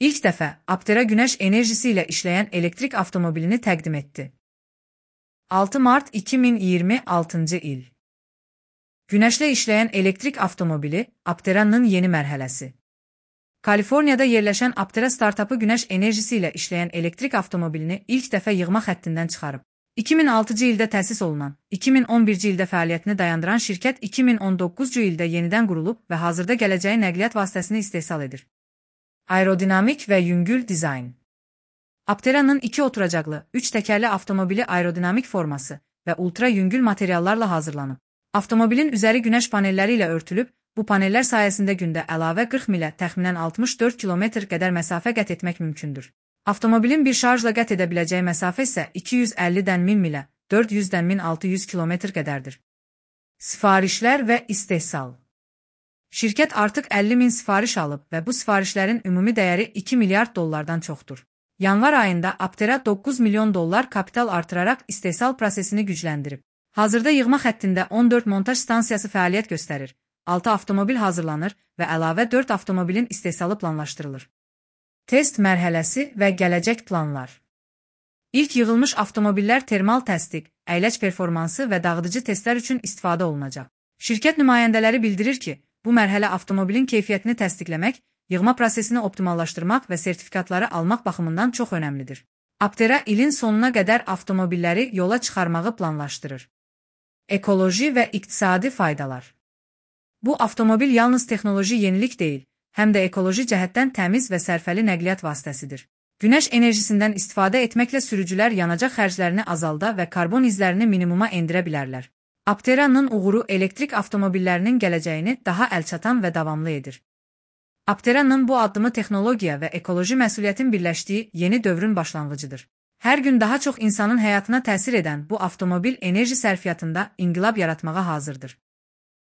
İlk dəfə Aptera günəş enerjisi ilə işləyən elektrik avtomobilini təqdim etdi. 6 mart 2026-cı il. Günəşlə işləyən elektrik avtomobili Aptera'nın yeni mərhələsi. Kaliforniyada yerləşən Aptera startapı günəş enerjisi ilə işləyən elektrik avtomobilini ilk dəfə yığma xəttindən çıxarıb. 2006-cı ildə təsis olunan, 2011-ci ildə fəaliyyətini dayandıran şirkət 2019-cu ildə yenidən qurulub və hazırda gələcəyi nəqliyyat vasitəsini istehsal edir. Aerodinamik və yüngül dizayn. Aptera'nın 2 oturacaqlı, 3 təkərli avtomobili aerodinamik forması və ultra yüngül materiallarla hazırlanıb. Avtomobilin üzəri günəş panelləri ilə örtülüb, bu panellər sayəsində gündə əlavə 40 milə təxminən 64 kilometr qədər məsafə qət etmək mümkündür. Avtomobilin bir şarjla qət edə biləcəyi məsafə isə 250-dən 1000 milə, 400-dən 1600 kilometr qədərdir. Sifarişlər və istehsal. Şirkət artıq 50 min sifariş alıb və bu sifarişlərin ümumi dəyəri 2 milyard dollardan çoxdur. Yanvar ayında Aptera 9 milyon dollar kapital artıraraq istehsal prosesini gücləndirib. Hazırda yığma xəttində 14 montaj stansiyası fəaliyyət göstərir, 6 avtomobil hazırlanır və əlavə 4 avtomobilin istehsalı planlaşdırılır. Test mərhələsi və gələcək planlar. İlk yığılmış avtomobillər termal təsdiq, əyləc performansı və dağıdıcı testlər üçün istifadə olunacaq. Şirkət nümayəndələri bildirir ki, bu mərhələ avtomobilin keyfiyyətini təsdiqləmək, yığma prosesini optimallaşdırmaq və sertifikatları almaq baxımından çox önəmlidir. Aptera ilin sonuna qədər avtomobilləri yola çıxarmağı planlaşdırır. Ekoloji və iqtisadi faydalar. Bu avtomobil yalnız texnoloji yenilik deyil, həm də ekoloji cəhətdən təmiz və sərfəli nəqliyyat vasitəsidir. Günəş enerjisindən istifadə etməklə sürücülər yanacaq xərclərini azalda və karbon izlərini minimuma endirə bilərlər. Aptera'nın uğuru elektrik avtomobillərinin gələcəyini daha əlçatan və davamlı edir. Aptera'nın bu addımı texnologiya və ekoloji məsuliyyətin birləşdiyi yeni dövrün başlanğıcıdır. Hər gün daha çox insanın həyatına təsir edən bu avtomobil enerji sərfiyyatında inqilab yaratmağa hazırdır.